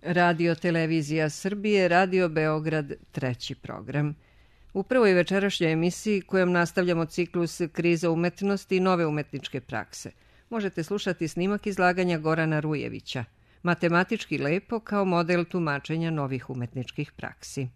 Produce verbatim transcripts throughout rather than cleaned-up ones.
Radio Televizija Srbije, Radio Beograd, treći program. U prvoj večerašnjoj emisiji kojom nastavljamo ciklus Kriza umetnosti i nove umetničke prakse, možete slušati snimak izlaganja Gorana Rujevića, Matematički lepo kao model tumačenja novih umetničkih praksi.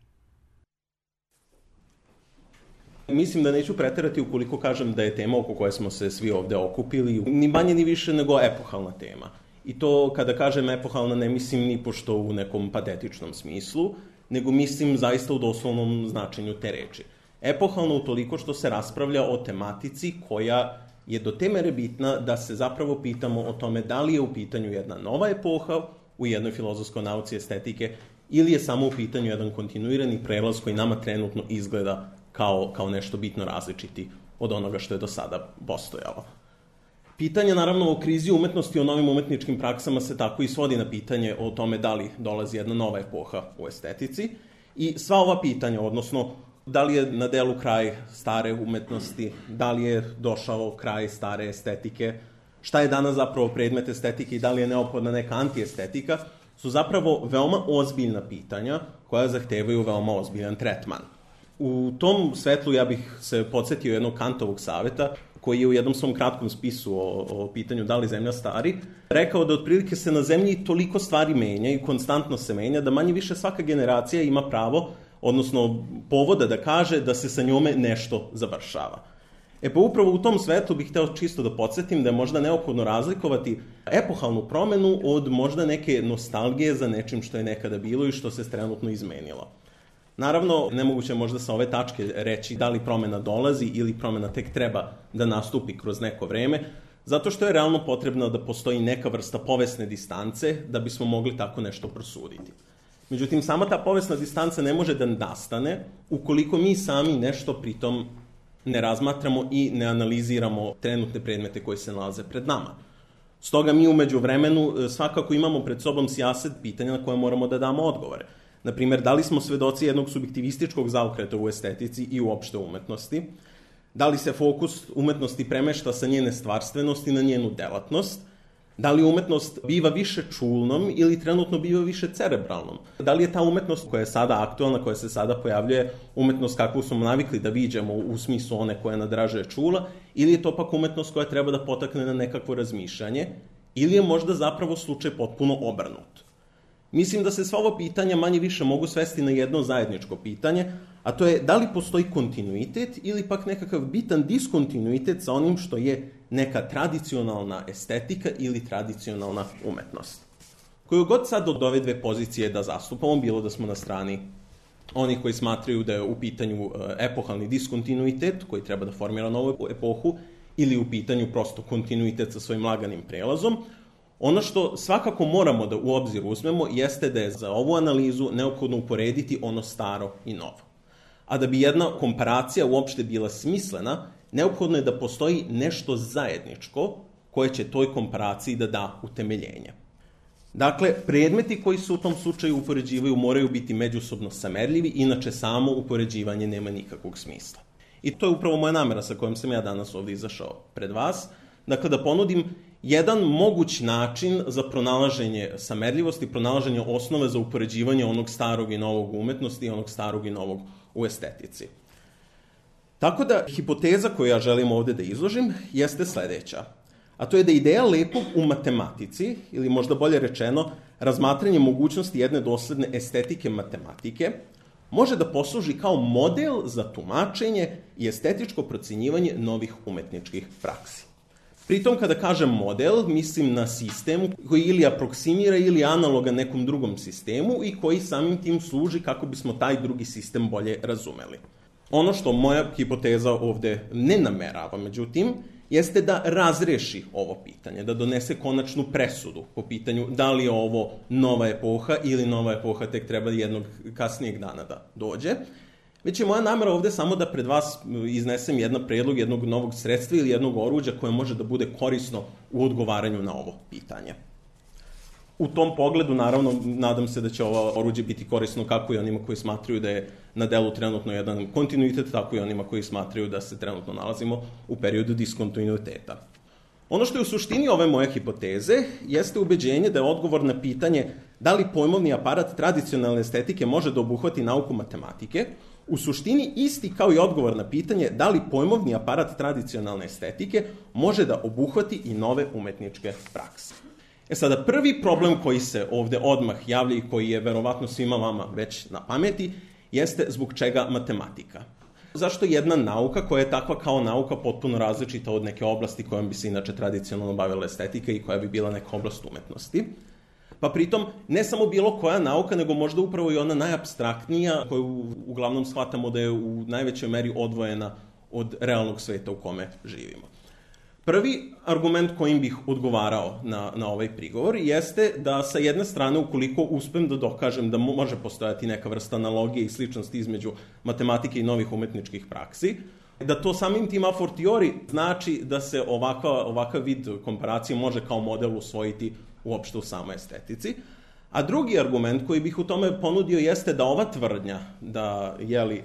Mislim da neću preterati ukoliko kažem da je tema oko koje smo se svi ovde okupili ni manje ni više nego epohalna tema. I to kada kažem epohalna ne mislim ni pošto u nekom patetičnom smislu, nego mislim zaista u doslovnom značenju te reči. Epohalno utoliko što se raspravlja o tematici koja je do te mere bitna da se zapravo pitamo o tome da li je u pitanju jedna nova epoha u jednoj filozofskoj nauci estetike ili je samo u pitanju jedan kontinuirani prelaz koji nama trenutno izgleda kao, kao nešto bitno različiti od onoga što je do sada postojalo. Pitanje, naravno, o krizi umetnosti, o novim umetničkim praksama se tako i svodi na pitanje o tome da li dolazi jedna nova epoha u estetici i sva ova pitanja, odnosno da li je na delu kraj stare umetnosti, da li je došao kraj stare estetike, šta je danas zapravo predmet estetike i da li je neophodna neka antiestetika, su zapravo veoma ozbiljna pitanja koja zahtevaju veoma ozbiljan tretman. U tom svetlu ja bih se podsjetio jednog Kantovog saveta, koji je u jednom svom kratkom spisu o, o pitanju da li zemlja stari, rekao da otprilike se na zemlji toliko stvari menja i konstantno se menja, da manje više svaka generacija ima pravo, odnosno povoda da kaže da se sa njome nešto završava. E pa upravo u tom svetlu bih hteo čisto da podsjetim da je možda neophodno razlikovati epohalnu promenu od možda neke nostalgije za nečim što je nekada bilo i što se trenutno izmenilo. Naravno, nemoguće je možda sa ove tačke reći da li promena dolazi ili promena tek treba da nastupi kroz neko vreme, zato što je realno potrebno da postoji neka vrsta povesne distance da bismo mogli tako nešto prosuditi. Međutim, sama ta povesna distanca ne može da nastane ukoliko mi sami nešto pritom ne razmatramo i ne analiziramo trenutne predmete koji se nalaze pred nama. Stoga mi u međuvremenu svakako imamo pred sobom sijaset pitanja na koje moramo da damo odgovore. Naprimjer, da li smo svedoci jednog subjektivističkog zaokreta u estetici i uopšte umetnosti? Da li se fokus umetnosti premešta sa njene stvarstvenosti na njenu delatnost? Da li umetnost biva više čulnom ili trenutno biva više cerebralnom? Da li je ta umetnost koja je sada aktualna, koja se sada pojavljuje, umetnost kakvu smo navikli da viđamo u smislu one koja nadražuje čula, ili je to pak umetnost koja treba da potakne na nekakvo razmišljanje, ili je možda zapravo slučaj potpuno obrnut? Mislim da se sva ova pitanja manje više mogu svesti na jedno zajedničko pitanje, a to je da li postoji kontinuitet ili pak nekakav bitan diskontinuitet sa onim što je neka tradicionalna estetika ili tradicionalna umetnost. Koju god sad od ove dve pozicije da zastupamo, bilo da smo na strani onih koji smatraju da je u pitanju epohalni diskontinuitet koji treba da formira novu epohu ili u pitanju prosto kontinuitet sa svojim laganim prelazom, ono što svakako moramo da u obzir uzmemo jeste da je za ovu analizu neophodno uporediti ono staro i novo. A da bi jedna komparacija uopšte bila smislena, neophodno je da postoji nešto zajedničko koje će toj komparaciji da da utemeljenje. Dakle, predmeti koji se u tom slučaju upoređivaju moraju biti međusobno samerljivi, inače samo upoređivanje nema nikakvog smisla. I to je upravo moja namera sa kojom sam ja danas ovde izašao pred vas. Dakle, da ponudim jedan moguć način za pronalaženje samerljivosti, pronalaženje osnove za upoređivanje onog starog i novog u umetnosti i onog starog i novog u estetici. Tako da, hipoteza koju ja želim ovde da izložim jeste sledeća. A to je da ideja lepog u matematici, ili možda bolje rečeno, razmatranje mogućnosti jedne dosledne estetike matematike, može da posluži kao model za tumačenje i estetičko procenjivanje novih umetničkih praksi. Pritom, kada kažem model, mislim na sistem koji ili aproksimira ili analoga nekom drugom sistemu i koji samim tim služi kako bismo taj drugi sistem bolje razumeli. Ono što moja hipoteza ovde ne namerava, međutim, jeste da razreši ovo pitanje, da donese konačnu presudu po pitanju da li je ovo nova epoha ili nova epoha tek treba jednog kasnijeg dana da dođe. Već je moja namera ovde samo da pred vas iznesem jedan predlog jednog novog sredstva ili jednog oruđa koje može da bude korisno u odgovaranju na ovo pitanje. U tom pogledu, naravno, nadam se da će ovo oruđe biti korisno kako i onima koji smatraju da je na delu trenutno jedan kontinuitet, tako i onima koji smatraju da se trenutno nalazimo u periodu diskontinuiteta. Ono što je u suštini ove moje hipoteze jeste ubeđenje da je odgovor na pitanje da li pojmovni aparat tradicionalne estetike može da obuhvati nauku matematike, u suštini isti kao i odgovor na pitanje da li pojmovni aparat tradicionalne estetike može da obuhvati i nove umetničke prakse. E sada, prvi problem koji se ovde odmah javlja i koji je verovatno svima vama već na pameti jeste zbog čega matematika. Zašto jedna nauka koja je takva kao nauka potpuno različita od neke oblasti kojom bi se inače tradicionalno bavila estetika i koja bi bila neka oblast umetnosti? Pa pritom ne samo bilo koja nauka, nego možda upravo i ona najapstraktnija koju uglavnom shvatamo da je u najvećoj meri odvojena od realnog sveta u kome živimo. Prvi argument kojim bih odgovarao na, na ovaj prigovor jeste da sa jedne strane, ukoliko uspem da dokažem da može postojati neka vrsta analogije i sličnosti između matematike i novih umetničkih praksi, da to samim tim a fortiori znači da se ovakav, ovakav vid komparacije može kao model usvojiti uopšte u samoj estetici. A drugi argument koji bih u tome ponudio jeste da ova tvrdnja da jeli,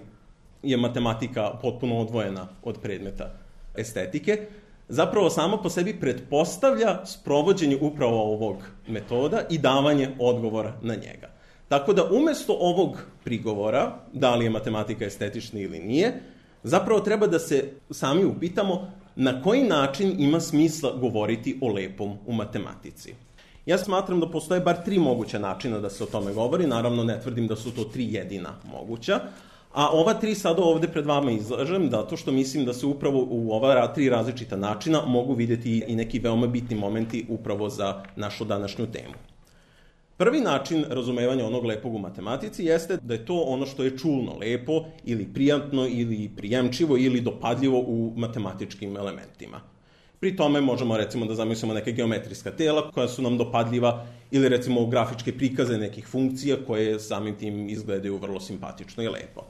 je matematika potpuno odvojena od predmeta estetike, zapravo samo po sebi pretpostavlja sprovođenje upravo ovog metoda i davanje odgovora na njega. Tako da umesto ovog prigovora, da li je matematika estetična ili nije, zapravo treba da se sami upitamo na koji način ima smisla govoriti o lepom u matematici. Ja smatram da postoje bar tri moguća načina da se o tome govori, naravno ne tvrdim da su to tri jedina moguća, a ova tri sada ovde pred vama izlažem zato što mislim da se upravo u ova tri različita načina mogu vidjeti i neki veoma bitni momenti upravo za našu današnju temu. Prvi način razumevanja onog lepog u matematici jeste da je to ono što je čulno lepo ili prijatno ili prijemčivo ili dopadljivo u matematičkim elementima. Pri tome možemo recimo da zamislimo neke geometrijska tela koja su nam dopadljiva ili recimo grafičke prikaze nekih funkcija koje samim tim izgledaju vrlo simpatično i lepo.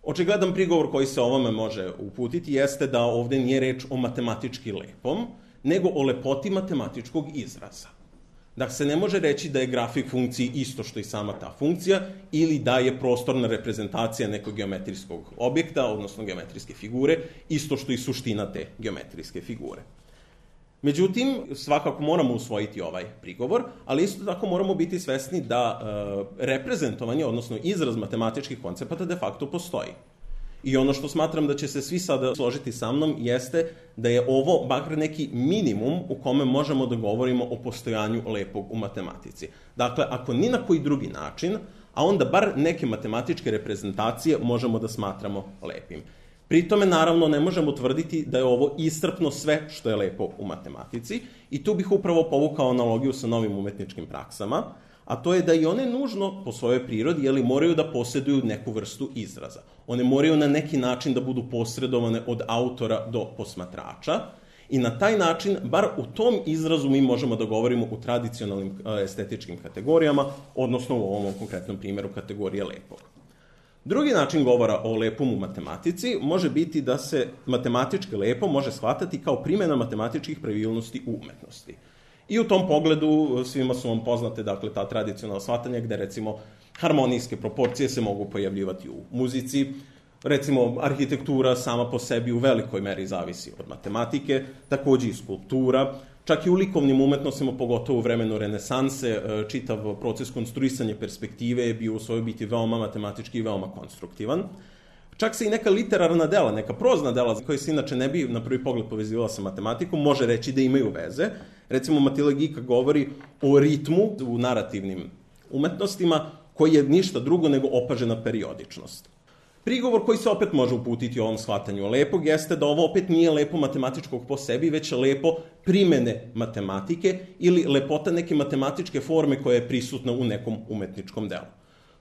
Očigledan prigovor koji se ovome može uputiti jeste da ovde nije reč o matematički lepom, nego o lepoti matematičkog izraza. Da se ne može reći da je grafik funkciji isto što i sama ta funkcija ili da je prostorna reprezentacija nekog geometrijskog objekta, odnosno geometrijske figure, isto što i suština te geometrijske figure. Međutim, svakako moramo usvojiti ovaj prigovor, ali isto tako moramo biti svesni da e, reprezentovanje, odnosno izraz matematičkih koncepata de facto postoji. I ono što smatram da će se svi sada složiti sa mnom jeste da je ovo bakar neki minimum u kome možemo da govorimo o postojanju lepog u matematici. Dakle, ako ni na koji drugi način, a onda bar neke matematičke reprezentacije možemo da smatramo lepim. Pri tome, naravno, ne možemo tvrditi da je ovo iscrpno sve što je lepo u matematici i tu bih upravo povukao analogiju sa novim umetničkim praksama, a to je da i one nužno po svojoj prirodi jeli, moraju da posjeduju neku vrstu izraza. One moraju na neki način da budu posredovane od autora do posmatrača i na taj način, bar u tom izrazu mi možemo da govorimo u tradicionalnim estetičkim kategorijama, odnosno u ovom konkretnom primjeru kategorije lepog. Drugi način govora o lepom u matematici može biti da se matematički lepo može shvatati kao primjena matematičkih pravilnosti u umetnosti. I u tom pogledu svima su vam poznate dakle, ta tradicionalna shvatanja gde recimo harmonijske proporcije se mogu pojavljivati u muzici, recimo arhitektura sama po sebi u velikoj meri zavisi od matematike, takođe i skulptura, čak i u likovnim umetnostima, pogotovo u vremenu renesanse, čitav proces konstruisanja perspektive je bio u svojoj biti veoma matematički i veoma konstruktivan. Čak se i neka literarna dela, neka prozna dela koja se inače ne bi na prvi pogled povezivala sa matematikom, može reći da imaju veze. Recimo, Matila Gika govori o ritmu u narativnim umetnostima koji je ništa drugo nego opažena periodičnost. Prigovor koji se opet može uputiti u ovom shvatanju lepog jeste da ovo opet nije lepo matematičkog po sebi, već lepo primene matematike ili lepota neke matematičke forme koja je prisutna u nekom umetničkom delu.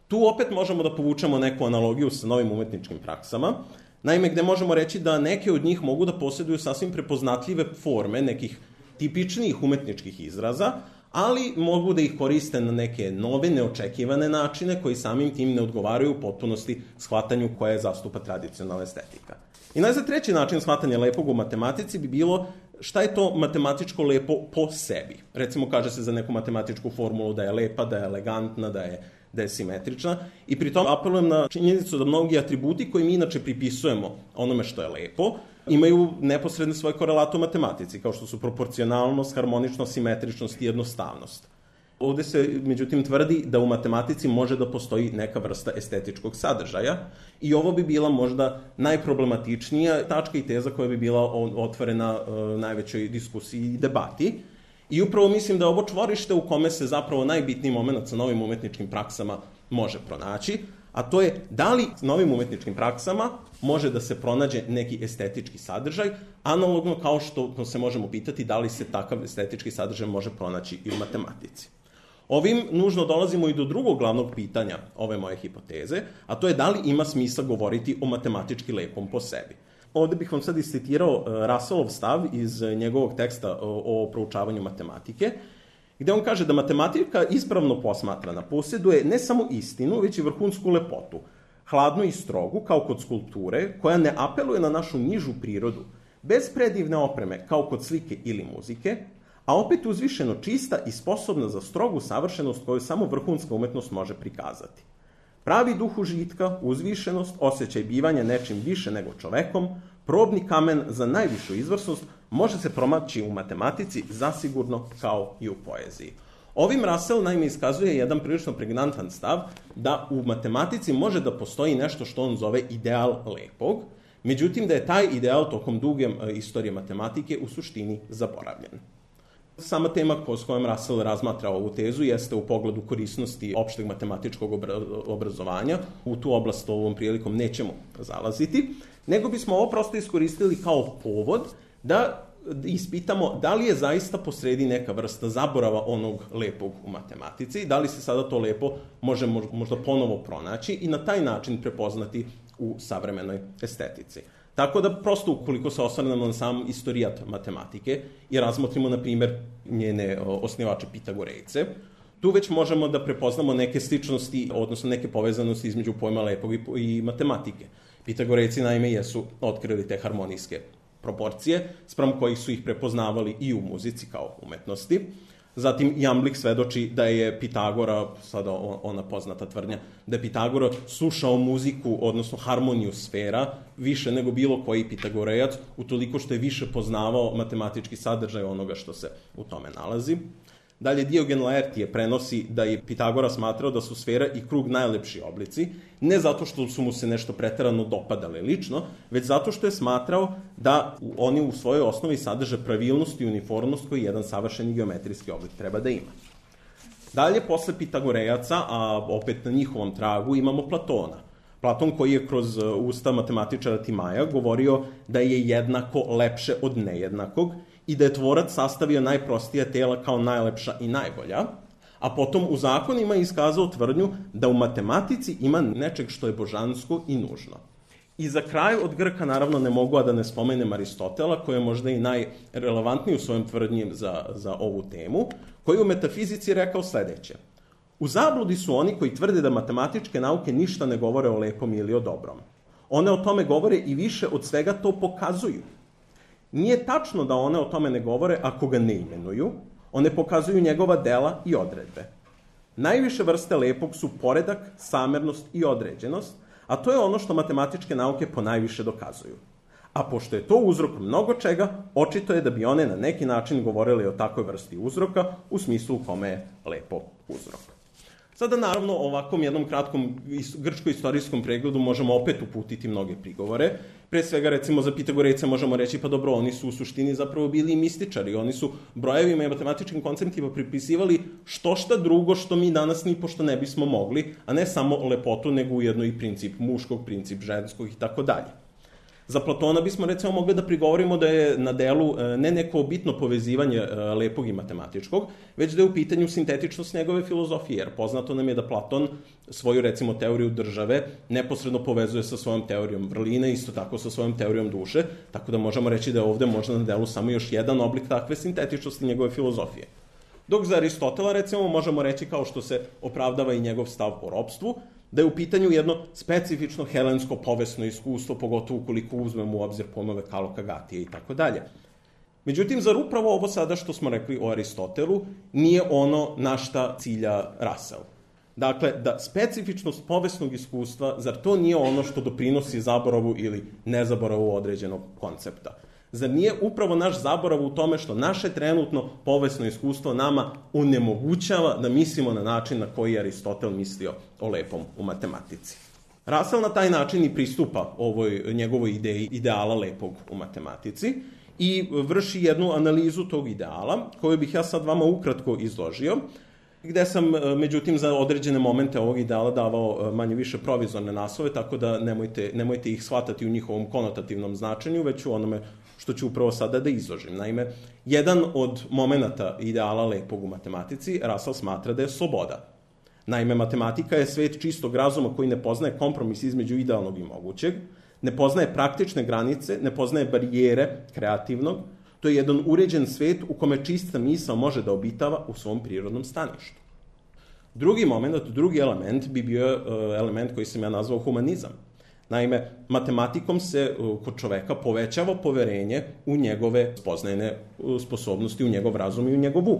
Tu opet možemo da povučemo neku analogiju sa novim umetničkim praksama, naime gde možemo reći da neke od njih mogu da posjeduju sasvim prepoznatljive forme nekih tipičnijih umetničkih izraza, ali mogu da ih koriste na neke nove, neočekivane načine koji samim tim ne odgovaraju u potpunosti shvatanju koje zastupa tradicionalna estetika. I najzad treći način shvatanja lepog u matematici bi bilo šta je to matematičko lepo po sebi. Recimo kaže se za neku matematičku formulu da je lepa, da je elegantna, da je, da je simetrična i pri tom apelujem na činjenicu da mnogi atributi koje mi inače pripisujemo onome što je lepo imaju neposredne svoje korelate u matematici, kao što su proporcionalnost, harmoničnost, simetričnost i jednostavnost. Ovde se, međutim, tvrdi da u matematici može da postoji neka vrsta estetičkog sadržaja i ovo bi bila možda najproblematičnija tačka i teza koja bi bila otvorena najvećoj diskusiji i debati. I upravo mislim da je ovo čvorište u kome se zapravo najbitniji moment sa novim umetničkim praksama može pronaći, a to je da li s novim umetničkim praksama može da se pronađe neki estetički sadržaj, analogno kao što se možemo pitati da li se takav estetički sadržaj može pronaći i u matematici. Ovim nužno dolazimo i do drugog glavnog pitanja ove moje hipoteze, a to je da li ima smisla govoriti o matematički lepom po sebi. Ovde bih vam sad iscitirao Russellov stav iz njegovog teksta o proučavanju matematike, gde on kaže da matematika ispravno posmatrana posjeduje ne samo istinu, već i vrhunsku lepotu, hladnu i strogu, kao kod skulpture, koja ne apeluje na našu nižu prirodu, bez predivne opreme, kao kod slike ili muzike, a opet uzvišeno čista i sposobna za strogu savršenost koju samo vrhunska umetnost može prikazati. Pravi duh užitka, uzvišenost, osjećaj bivanja nečim više nego čovekom, probni kamen za najvišu izvrsnost, može se promaći u matematici zasigurno kao i u poeziji. Ovim Russell naime iskazuje jedan prilično pregnantan stav da u matematici može da postoji nešto što on zove ideal lepog, međutim da je taj ideal tokom duge istorije matematike u suštini zaboravljen. Sama tema s kojom Russell razmatra ovu tezu jeste u pogledu korisnosti opšteg matematičkog obrazovanja. U tu oblast ovom prilikom nećemo zalaziti, nego bismo ovo prosto iskoristili kao povod da ispitamo da li je zaista posredi neka vrsta zaborava onog lepog u matematici, da li se sada to lepo može možda ponovo pronaći i na taj način prepoznati u savremenoj estetici. Tako da prosto ukoliko se osvrnemo na sam istorijat matematike i razmotrimo, na primjer, njene osnivače Pitagorejce, tu već možemo da prepoznamo neke sličnosti, odnosno neke povezanosti između pojma lepog i matematike. Pitagorejci naime jesu otkrili te harmonijske proporcije, spram kojih su ih prepoznavali i u muzici kao umetnosti. Zatim Jamblik svedoči da je Pitagora, sada ona poznata tvrdnja, da je Pitagora slušao muziku, odnosno harmoniju sfera, više nego bilo koji Pitagorejac, utoliko što je više poznavao matematički sadržaj onoga što se u tome nalazi. Dalje, Diogen Laertije prenosi da je Pitagora smatrao da su sfera i krug najlepši oblici, ne zato što su mu se nešto preterano dopadale lično, već zato što je smatrao da oni u svojoj osnovi sadrže pravilnost i uniformnost koji jedan savršeni geometrijski oblik treba da ima. Dalje, posle Pitagorejaca, a opet na njihovom tragu, imamo Platona. Platon koji je kroz usta matematičara Timaja govorio da je jednako lepše od nejednakog i da je tvorac sastavio najprostija tela kao najlepša i najbolja, a potom u zakonima je iskazao tvrdnju da u matematici ima nečeg što je božansko i nužno. I za kraj od Grka naravno ne mogu a da ne spomenem Aristotela, koji je možda i najrelevantniji u svojom tvrdnji za, za ovu temu, koji je u metafizici rekao sledeće. U zabludi su oni koji tvrde da matematičke nauke ništa ne govore o lepom ili o dobrom. One o tome govore i više od svega to pokazuju. Nije tačno da one o tome ne govore ako ga ne imenuju, one pokazuju njegova dela i odredbe. Najviše vrste lepog su poredak, samernost i određenost, a to je ono što matematičke nauke ponajviše dokazuju. A pošto je to uzrok mnogo čega, očito je da bi one na neki način govorili o takvoj vrsti uzroka, u smislu u kome je lepo uzrok. Sada, naravno, ovakvom jednom kratkom grčko-istorijskom pregledu možemo opet uputiti mnoge prigovore. Pre svega, recimo, za Pitagorejce možemo reći, pa dobro, oni su u suštini zapravo bili mističari. Oni su brojevima i matematičkim konceptima pripisivali što šta drugo što mi danas ni pošto ne bismo mogli, a ne samo lepotu, nego ujedno i princip muškog, princip ženskog i tako dalje. Za Platona bismo recimo mogli da prigovorimo da je na delu ne neko bitno povezivanje lepog i matematičkog, već da je u pitanju sintetičnost njegove filozofije, jer poznato nam je da Platon svoju recimo teoriju države neposredno povezuje sa svojom teorijom vrline, isto tako sa svojom teorijom duše, tako da možemo reći da je ovde možda na delu samo još jedan oblik takve sintetičnosti njegove filozofije. Dok za Aristotela recimo možemo reći, kao što se opravdava i njegov stav o ropstvu, da je u pitanju jedno specifično helensko povesno iskustvo, pogotovo ukoliko uzmemo u obzir pojmove Kaloka, Gatije i tako dalje. Međutim, zar upravo ovo sada što smo rekli o Aristotelu nije ono na šta cilja Russell? Dakle, da specifičnost povesnog iskustva, zar to nije ono što doprinosi zaboravu ili nezaboravu određenog koncepta? Zar nije upravo naš zaborav u tome što naše trenutno povesno iskustvo nama onemogućava da mislimo na način na koji je Aristotel mislio o lepom u matematici? Russell na taj način i pristupa ovoj njegovoj ideji ideala lepog u matematici i vrši jednu analizu tog ideala, koju bih ja sad vama ukratko izložio, gde sam, međutim, za određene momente ovog ideala davao manje više provizorne naslove, tako da nemojte, nemojte ih shvatati u njihovom konotativnom značenju, već u onome što ću upravo sada da izložim. Naime, jedan od momenata ideala lepog u matematici Russell smatra da je sloboda. Naime, matematika je svet čistog razuma koji ne poznaje kompromis između idealnog i mogućeg, ne poznaje praktične granice, ne poznaje barijere kreativnog. To je jedan uređen svet u kome čista misao može da obitava u svom prirodnom staništu. Drugi moment, drugi element bi bio element koji sam ja nazvao humanizam. Naime, matematikom se kod čoveka povećava poverenje u njegove spoznajne sposobnosti, u njegov razum i u njegov um.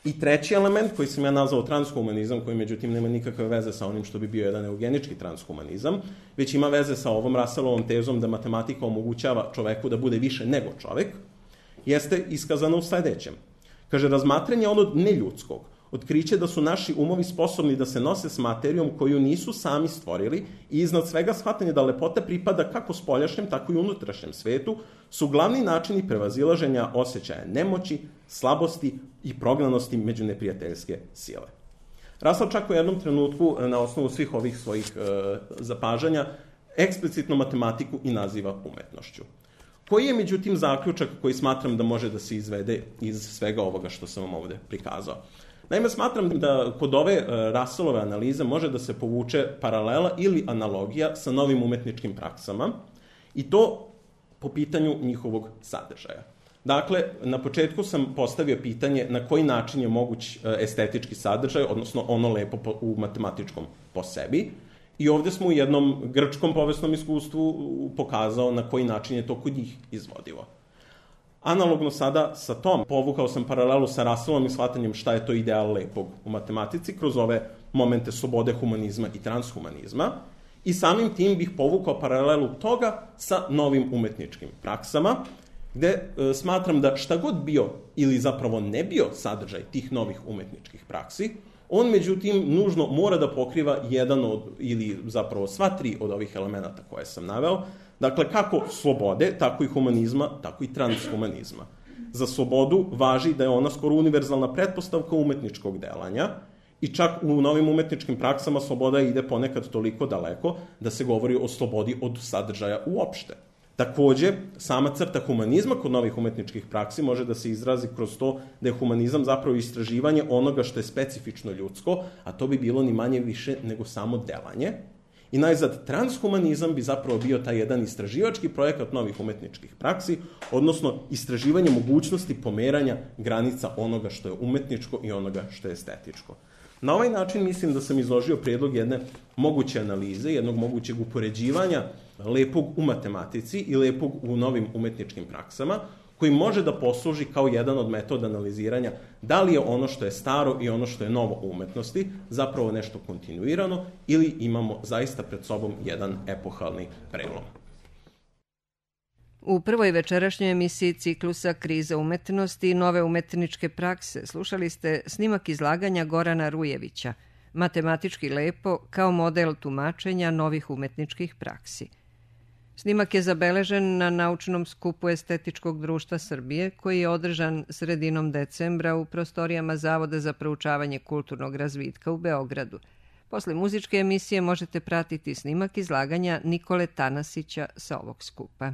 I treći element koji sam ja nazvao transhumanizam, koji međutim nema nikakve veze sa onim što bi bio jedan eugenički transhumanizam, već ima veze sa ovom Russellovom tezom da matematika omogućava čoveku da bude više nego čovek, jeste iskazano u sledećem. Kaže, razmatranje onog neljudskog, otkriće da su naši umovi sposobni da se nose s materijom koju nisu sami stvorili i iznad svega shvatanje da lepota pripada kako spoljašnjem, tako i unutrašnjem svetu, su glavni načini prevazilaženja osjećaja nemoći, slabosti i prognanosti među neprijateljske sile. Russell čak u jednom trenutku, na osnovu svih ovih svojih e, zapažanja, eksplicitno matematiku i naziva umetnošću. Koji je, međutim, zaključak koji smatram da može da se izvede iz svega ovoga što sam vam ovde prikazao? Naime, smatram da kod ove Russellove analize može da se povuče paralela ili analogija sa novim umetničkim praksama i to po pitanju njihovog sadržaja. Dakle, na početku sam postavio pitanje na koji način je moguć estetički sadržaj, odnosno ono lepo u matematičkom po sebi. I ovde smo u jednom grčkom povesnom iskustvu pokazao na koji način je to kod njih izvodivo. Analogno sada sa tom, povukao sam paralelu sa Russellom i shvatanjem šta je to ideal lepog u matematici kroz ove momente slobode, humanizma i transhumanizma i samim tim bih povukao paralelu toga sa novim umetničkim praksama, gde e, smatram da šta god bio ili zapravo ne bio sadržaj tih novih umetničkih praksi, on međutim nužno mora da pokriva jedan od, ili zapravo sva tri od ovih elemenata koje sam naveo, dakle, kako slobode, tako i humanizma, tako i transhumanizma. Za slobodu važi da je ona skoro univerzalna pretpostavka umetničkog delanja i čak u novim umetničkim praksama sloboda ide ponekad toliko daleko da se govori o slobodi od sadržaja uopšte. Takođe, sama crta humanizma kod novih umetničkih praksi može da se izrazi kroz to da je humanizam zapravo istraživanje onoga što je specifično ljudsko, a to bi bilo ni manje više nego samo delanje. I najzad, transhumanizam bi zapravo bio taj jedan istraživački projekat novih umetničkih praksi, odnosno istraživanje mogućnosti pomeranja granica onoga što je umetničko i onoga što je estetičko. Na ovaj način mislim da sam izložio predlog jedne moguće analize, jednog mogućeg upoređivanja lepog u matematici i lepog u novim umetničkim praksama, koji može da posluži kao jedan od metoda analiziranja da li je ono što je staro i ono što je novo u umetnosti zapravo nešto kontinuirano ili imamo zaista pred sobom jedan epohalni prelom. U prvoj večerašnjoj emisiji ciklusa Kriza umetnosti i nove umetničke prakse slušali ste snimak izlaganja Gorana Rujevića, Matematički lepo kao model tumačenja novih umetničkih praksi. Snimak je zabeležen na naučnom skupu Estetičkog društva Srbije, koji je održan sredinom decembra u prostorijama Zavoda za proučavanje kulturnog razvitka u Beogradu. Posle muzičke emisije možete pratiti snimak izlaganja Nikole Tanasića sa ovog skupa.